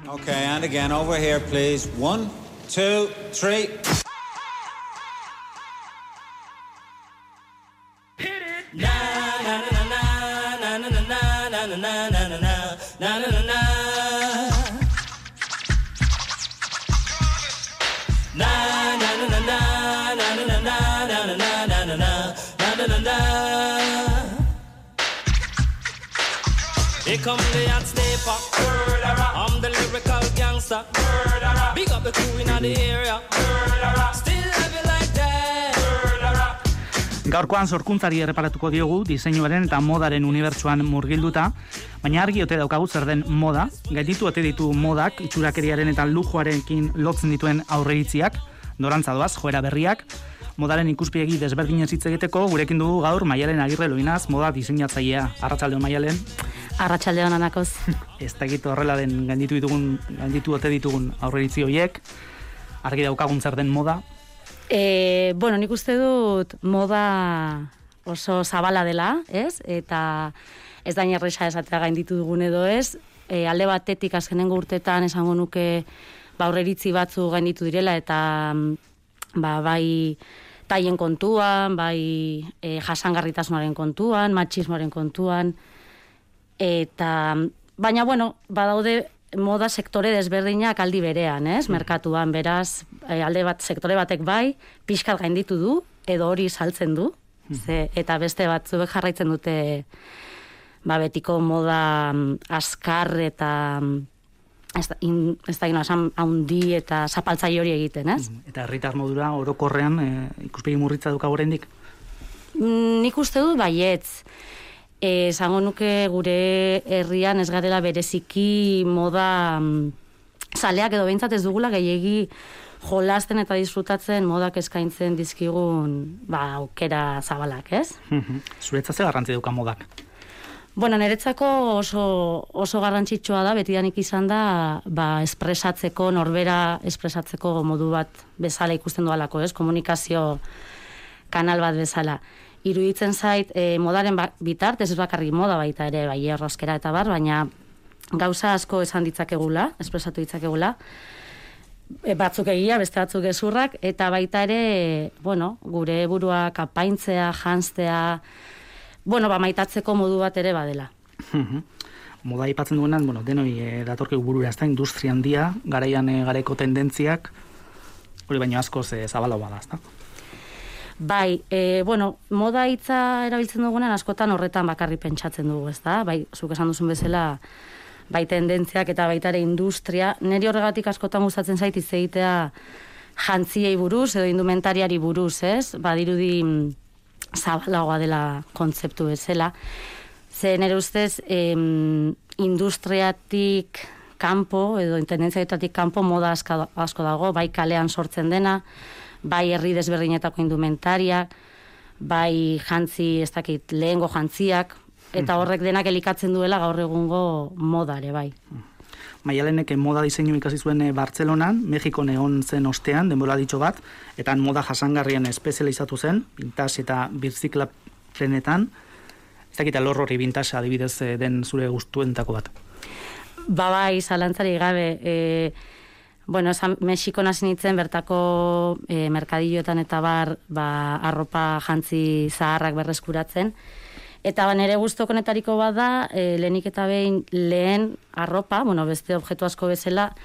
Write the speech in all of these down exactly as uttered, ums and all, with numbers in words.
Okay, and again, over here, please. One, two, three. Hit it! Na na na na na na na na na na na na na na na na. Na na na na na na na na na na na na na na na. Here come the hot sniper. I'm the lyrical gangster. Big up the crew in the area. Still love you like that. Gaurkoan sorkuntzari erreparatuko diogu diseinuaren eta modaren unibertsuan murgilduta, baina argi ote daukagu zer den moda, gainditu ote ditu modak itxurakeriaren eta lujoarekin lotzen dituen aurreritziak, norantza doaz, joera berriak. Modaren ikuspegi desberdinez hitz egiteko gurekin dugu gaur Maialen Agirre Loinaz, moda diseinatzailea. Arratsaldeon Maialen. Arratsaldeon Anakoz. Ez dakit horrela den gainditu ditugun, gainditu ote ditugun aurreiritzi horiek. Argi daukagun zer den moda. E, bueno, nik uste dut moda oso zabala dela, ez? Eta ez dain erresa esatea gainditu dugun edo ez. E, alde batetik azkenengo urtetan esango nuke ba aurreiritzi batzu gainditu direla eta ba bai taien kontuan, bai e, jasangarritasunaren kontuan, matxismoaren kontuan, eta baina bueno, badaude moda sektore desberdinak aldi berean, ez? Merkatuan, beraz, e, alde bat sektore batek bai, pixkat gainditu du, edo hori saltzen du, ze, eta beste batzuek jarraitzen dute ba betiko moda askar eta ez da, in, ez da esan haundi eta zapaltzaile hori egiten, ez? Eta herritar modura orokorrean e, ikuspegi murritza duka oraindik? Mm, nik uste dut baietz. E, esango nuke gure herrian ez garela bereziki moda zaleak edo behintzat ez dugula gehiegi jolasten eta disfrutatzen modak eskaintzen dizkigun ba, aukera zabalak, ez? Zuretzat ze garrantzi dauka modak? Bueno, niretzako oso, oso garrantzitsua da, betidanik izan da, ba, espresatzeko, norbera espresatzeko modu bat bezala ikusten dualako, ez? Komunikazio kanal bat bezala. Iruditzen zait, e, modaren bitartez, ez bakarrik moda baita ere, bai erroskera eta bar, baina gauza asko esan ditzakegula, espresatu ditzakegula, e, batzuk egia, beste batzuk gezurrak, eta baita ere, bueno, gure burua kapaintzea, janztea, bueno, ba, maitatzeko modu bat ere badela. Moda aipatzen duenan, bueno, denoi e, datorkegu burura, ez da, industria handia, garaian e, garaiko tendentziak, hori baino askoz e, zabala bada, ez da? Bai, e, bueno, moda hitza erabiltzen dugunen askotan horretan bakarri pentsatzen dugu, ez da? Bai, zuk esan duzun bezala, bai tendentziak eta baita ere industria, niri horregatik askotan gustatzen zait hitz egitea jantziei buruz edo indumentariari buruz, ez? Badirudi zabalagoa dela kontzeptu bezala. Ze nire ustez, em, industriatik kanpo, edo tendentziaetatik kanpo moda asko, asko dago, bai kalean sortzen dena, bai herri desberdinetako indumentariak, bai jantzi, ez dakit, lehengo jantziak, eta horrek denak elikatzen duela gaur egungo modare, bai. Maialenek moda diseinu ikasi zuen Bartzelonan, Mexikon egon zen ostean, denbora ditxo bat, eta moda jasangarrian espezializatu zen, vintage eta birziklapenetan. Ez dakit alor hori vintage adibidez den zure gustuentako bat? Ba bai, zalantzari gabe, e, bueno, esan Mexikon hasi nintzen bertako e, merkadilloetan eta bar, ba, arropa jantzi zaharrak berreskuratzen, eta ba, nire gustu konetariko bada, e, lehenik eta behin lehen arropa, bueno, beste objektu asko bezala,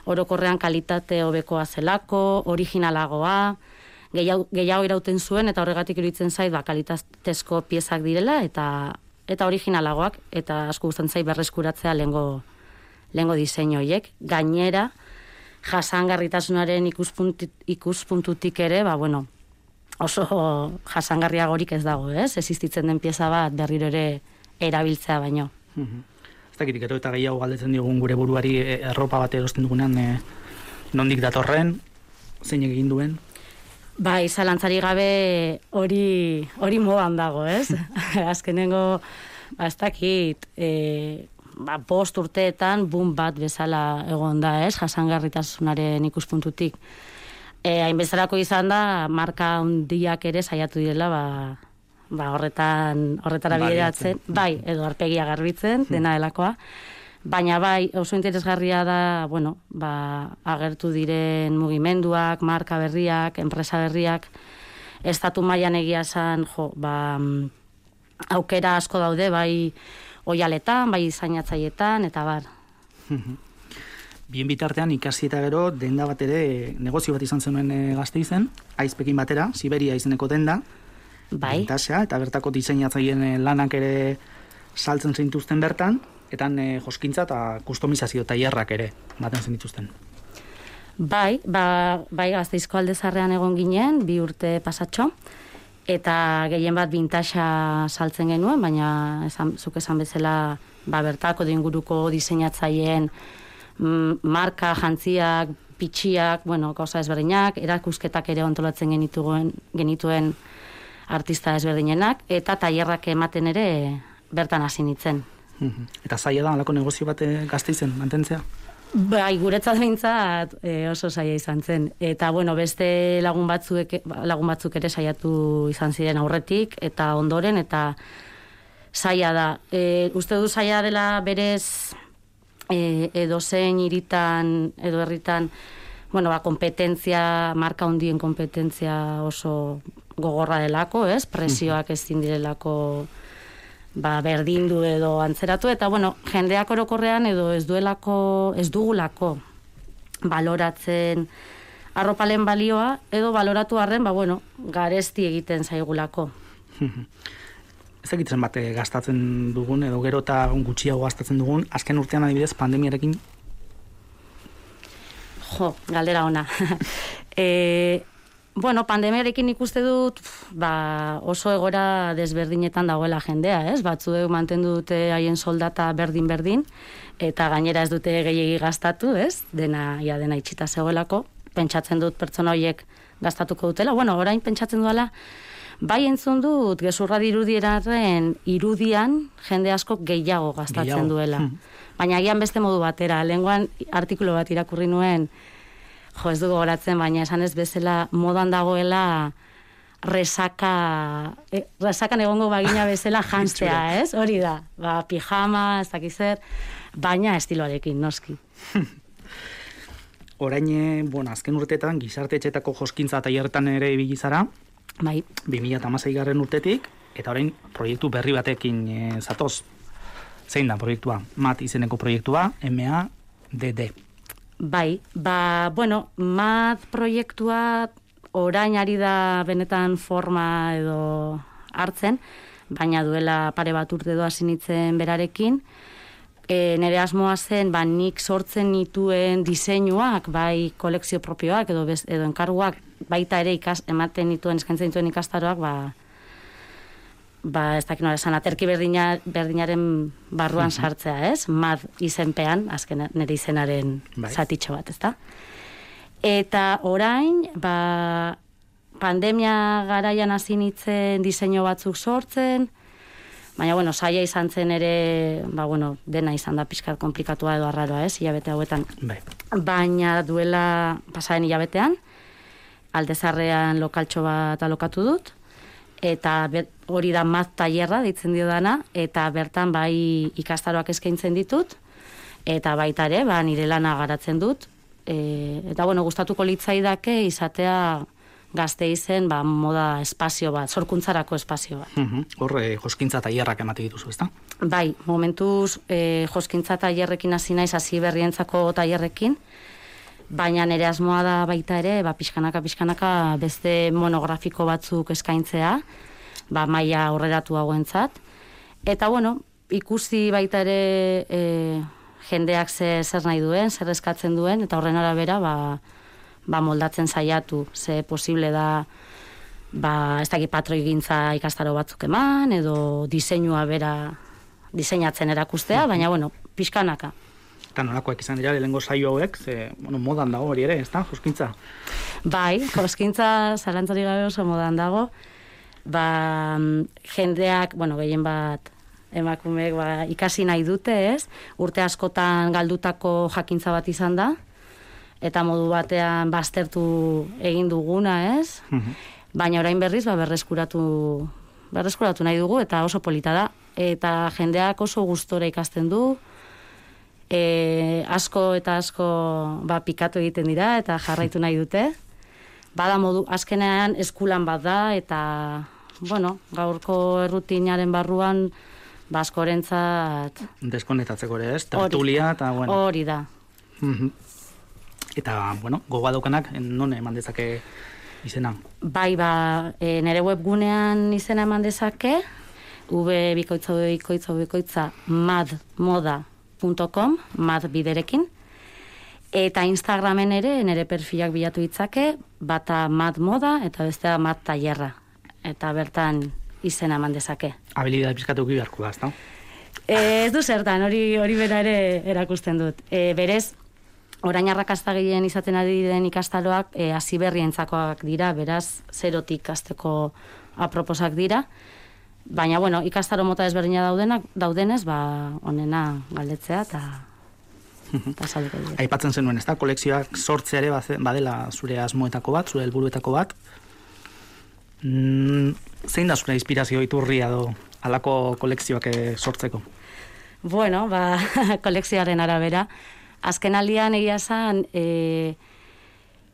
orokorrean kalitate hobekoa zelako, originalagoa, gehiago, gehiago irauten zuen, eta horregatik iruditzen zait, ba, kalitatezko piezak direla, eta eta originalagoak, eta asko gustatzen zait berreskuratzea lehengo, lehengo diseinu horiek. Gainera, jasangarritasunaren ikuspunt, ikuspuntutik ere, ba, bueno, oso jasangarriagorik ez dago, ez? Existitzen den pieza bat berriro ere erabiltzea baino. Ez dakit, gero eta gehiago galdetzen diogun gure buruari erropa bat erosten dugunean, e, nondik datorren, zein egin duen? Bai, zalantzari gabe hori hori modan dago, ez? Azkenengo, ba, ez dakit, e, ba, bost urteetan boom bat bezala egon da, ez? Jasangarritasunaren ikuspuntutik. E, hainbezarako izan da, marka handiak ere saiatu direla, ba, ba horretan, horretara bideratzen, bai, edo arpegia garbitzen, dena delakoa, Baina bai, oso interesgarria da, bueno, ba, agertu diren mugimenduak, marka berriak, enpresa berriak, estatu mailan egia esan, jo, ba, aukera asko daude, bai oialetan, bai diseinatzailetan, eta bar. Bien bitartean ikasi eta gero denda bat ere negozio bat izan zenuen e, Gasteizen, Aizpekin batera, Siberia izeneko denda, bai. Vintasea, eta bertako diseinatzaileen lanak ere saltzen zintuzten bertan, eta e, joskintza eta kustomizazio tailerrak ere baten zen dituzten. Bai, ba, bai Gasteizko Aldezarrean egon ginen, bi urte pasatxo, eta gehien bat vintasea saltzen genuen, baina esan, zuk esan bezala ba, bertako inguruko diseinatzaileen marka, jantziak, pitxiak, bueno, gauza ezberdinak, erakusketak ere ontolatzen genituen, genituen artista ezberdinenak, eta tailerrak ematen ere bertan hasi nintzen. Eta zaila da, alako negozio bat Gasteizen mantentzea? Bai, guretzat behintzat e, oso zaila izan zen. Eta, bueno, beste lagun batzuk, lagun batzuk ere saiatu izan ziren aurretik, eta ondoren, eta zaila da. E, uste du zaila dela berez e, edo zein hiritan, edo herritan, bueno, ba, kompetentzia, marka handien kompetentzia oso gogorra delako, ez? Presioak ezin direlako ba, berdindu edo antzeratu, eta, bueno, jendeak orokorrean edo ez duelako, ez dugulako baloratzen arropalen balioa, edo baloratu arren, ba, bueno, garesti egiten zaigulako. Ez egitzen bat gastatzen dugun, edo gero eta gutxiago gastatzen dugun, azken urtean adibidez pandemiarekin? Jo, galdera ona. e, bueno, pandemiarekin ikuste dut ba, oso egora desberdinetan dagoela jendea, ez? Batzuek mantendu dute haien soldata berdin-berdin, eta gainera ez dute gehiegi gastatu, ez? Dena, ja, dena itxita zegoelako. Pentsatzen dut pertsona horiek gastatuko dutela. Bueno, orain pentsatzen duela, bai entzun dut, gezurra dirudieraren irudian jende asko gehiago gastatzen gehiago. duela. Hmm. Baina agian beste modu batera. Lehengoan artikulu bat irakurri nuen, jo, ez dugu goratzen, baina esan ez bezala modan dagoela resaka, eh, resakan egongo bagina bezala jantzea, ez? Hori da, ba, pijama, ez dakizer, baina estiloarekin, noski. Orain, bueno, azken urteetan, gizartetxetako joskintza tailerretan ere ibili zara, bai. bi mila hamasei garren urtetik, eta orain proiektu berri batekin e, zatoz. Zein da proiektua? Mat izeneko proiektua, M A D D. Bai, ba, bueno, Mat proiektua orain ari da benetan forma edo hartzen, baina duela pare bat urte doa sinitzen berarekin. E, nire asmoa zen, ba, nik sortzen nituen diseinuak, bai kolekzio propioak edo, bez, edo enkarguak, baita ere ikas, ematen nituen, eskaintzen dituen ikastaroak, ba, ba ez dakit nola esan, aterki berdina, berdinaren barruan sartzea, ez? Mad izenpean, azken nire izenaren bai. Zatitxo bat, ezta? Eta orain, ba, pandemia garaian hasi nintzen diseinu batzuk sortzen, baina, bueno, saia izan zen ere, ba, bueno, dena izan da pixkat komplikatua edo arraroa, ez, hilabete hauetan. Bai. Baina duela pasaren hilabetean, Aldezarrean lokaltxo bat alokatu dut, eta bet, hori da Mat tailerra deitzen dio dana, eta bertan bai ikastaroak eskaintzen ditut, eta baita ere, ba, nire lana garatzen dut, e, eta, bueno, gustatuko litzaidake izatea Gasteizen, ba, moda espazio bat, sorkuntzarako espazio bat. Uh-huh. Hor, e, joskintza tailerrak emate dituzu, ezta? Bai, momentuz e, joskintza tailerrekin hasi naiz, hasi berrientzako tailerrekin, baina nire asmoa da baita ere, ba, pixkanaka, pixkanaka beste monografiko batzuk eskaintzea, ba, maila aurreratu hauentzat. Eta, bueno, ikusi baita ere e, jendeak ze, zer nahi duen, zer eskatzen duen, eta horren arabera, ba, ba, moldatzen saiatu, ze posible da, ba, ez dakit patroigintza ikastaro batzuk eman, edo diseinua bera diseinatzen erakustea, baina, bueno, pixkanaka. Eta nolakoak izan dira, lehengo saio hauek, ze, bueno, modan dago hori ere, ez da, joskintza? Bai, joskintza zalantzari gabe oso modan dago, ba, jendeak, bueno, gehien bat, emakumeek, ba, ikasi nahi dute, ez? Urte askotan galdutako jakintza bat izan da, eta modu batean baztertu egin duguna, ez? Uh-huh. Baina orain berriz, ba, berreskuratu, berreskuratu nahi dugu, eta oso polita da. Eta jendeak oso gustora ikasten du, E, asko eta asko ba, pikatu egiten dira eta jarraitu nahi dute. Bada modu, azkenean eskulan bat da eta, bueno, gaurko errutinaren barruan ba, askorentzat... Deskonektatzeko ere, ez? Tertulia eta, bueno... Hori da. Mm-hmm. Eta, bueno, gogoa daukanak, non eman dezake izena? Bai, ba, e, nire webgunean izena eman dezake, v bikoitza bikoitza bikoitza madmoda punto com, mad biderekin, eta Instagramen ere nire perfilak bilatu ditzake, bata madmoda eta bestea mad tailerra, eta bertan izena eman dezake. Habilidade pizkatu beharko da, ezta? E, ez du zertan, hori hori bera ere erakusten dut. E, berez, orain arrakasta gehien izaten ari den ikastaroak e, hasi berrientzakoak dira, beraz, zerotik hasteko aproposak dira. Baina, bueno, ikastaro mota ezberdina daudenak, daudenez, ba, onena galdetzea eta pasaduko dira. Aipatzen zenuen, ez da, kolekzioak sortzea ere badela zure asmoetako bat, zure helburuetako bat. Mm, zein da zure inspirazio iturria do halako kolekzioak sortzeko? Bueno, ba, kolekzioaren arabera. Azken aldian egia esan, e,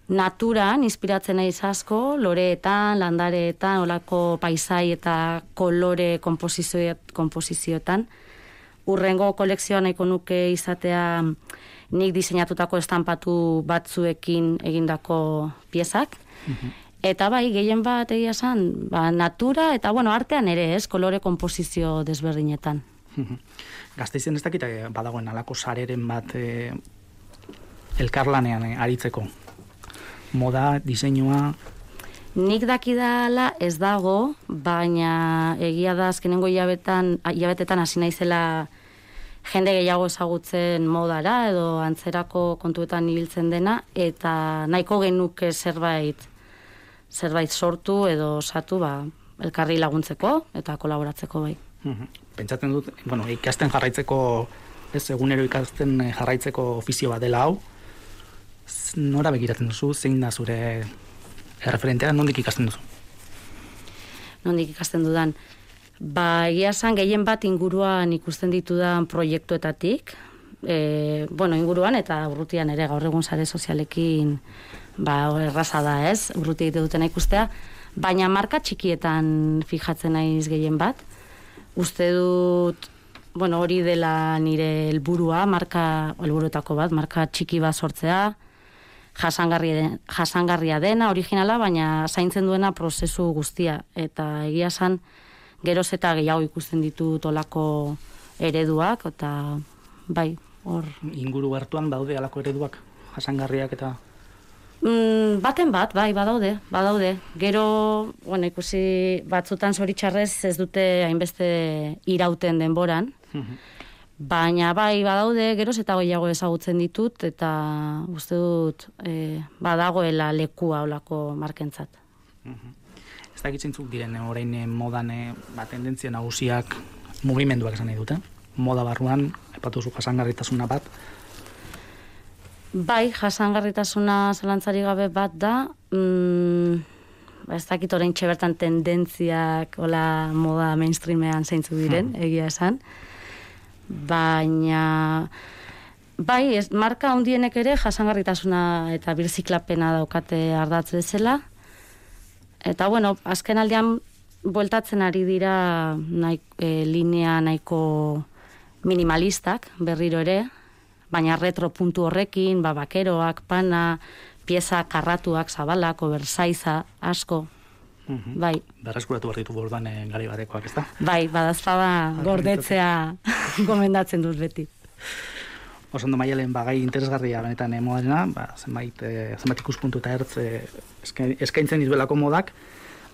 naturan inspiratzen naiz asko, loreetan, landareetan, olako paisai eta kolore kompozizioetan. Urrengo kolekzioa nahiko nuke izatea nik diseinatutako estampatu batzuekin egindako piezak. Mm-hmm. Eta bai, gehien bat egia esan, ba, natura eta bueno, artean ere ez, kolore kompozizio desberdinetan. Gasteizen ez dakit badagoen alako sareren bat e, elkarlanean e, aritzeko. Moda, diseinua... Nik dakidala ez dago, baina egia da azkenengo hilabetan, hilabetetan hasi naizela jende gehiago ezagutzen modara edo antzerako kontuetan ibiltzen dena, eta nahiko genuke zerbait zerbait sortu edo osatu ba, elkarri laguntzeko eta kolaboratzeko bai. Pentsatzen dut, bueno, ikasten jarraitzeko, ez egunero ikasten jarraitzeko ofizio bat dela hau, nora begiratzen duzu, zein da zure erreferentea, nondik ikasten duzu? Nondik ikasten dudan? Ba, egia esan gehien bat inguruan ikusten ditudan proiektuetatik, e, bueno, inguruan eta urrutian ere gaur egun sare sozialekin ba, erraza da ez, urruti egite dutena ikustea, baina marka txikietan fijatzen naiz gehien bat. Uste dut, bueno, hori dela nire helburua, marka, helburuetako bat, marka txiki bat sortzea, jasangarria, den, jasangarria dena, originala, baina zaintzen duena prozesu guztia. Eta egia esan, geroz eta gehiago ikusten ditut olako ereduak, eta bai, hor... Inguru hartuan daude alako ereduak, jasangarriak eta... Mm, baten bat, bai, badaude, badaude. Gero, bueno, ikusi batzutan zoritxarrez ez dute hainbeste irauten denboran, baina bai, badaude, geroz eta gehiago ezagutzen ditut, eta uste dut e, badagoela lekua olako markentzat. Ez da egitzintzuk diren orain modan ba, tendentzia nagusiak mugimenduak esan nahi dute? Moda barruan, epatu zu jasangarritasuna bat, bai, jasangarritasuna zalantzari gabe bat da, mm, ez dakit orain txebertan tendentziak ola moda mainstreamean zeintzu diren, hmm. egia esan, baina bai, ez, marka handienek ere jasangarritasuna eta birziklapena daukate ardatz bezala, eta bueno, azken aldean bueltatzen ari dira nahi, e, linea nahiko minimalistak berriro ere, baina retro puntu horrekin, ba, bakeroak, pana, pieza karratuak, zabalak, obersaiza, asko, mm-hmm. bai. Berreskuratu behar ditu bordan eh, gari batekoak, ez da? Bai, badazpada gordetzea gomendatzen dut beti. Osondo Maialen, ba, gai interesgarria benetan eh, modena, ba, zenbait, eh, zenbait ikuspuntu eta ertz eh, eskaintzen dizuelako modak,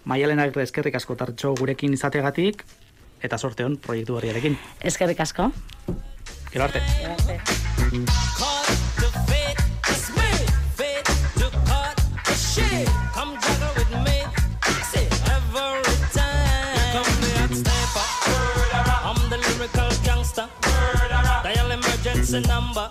Maialen agirre eskerrik asko tartxo gurekin izategatik, eta sorte hon proiektu berriarekin. Eskerrik asko. Gero arte. Gero arte. Number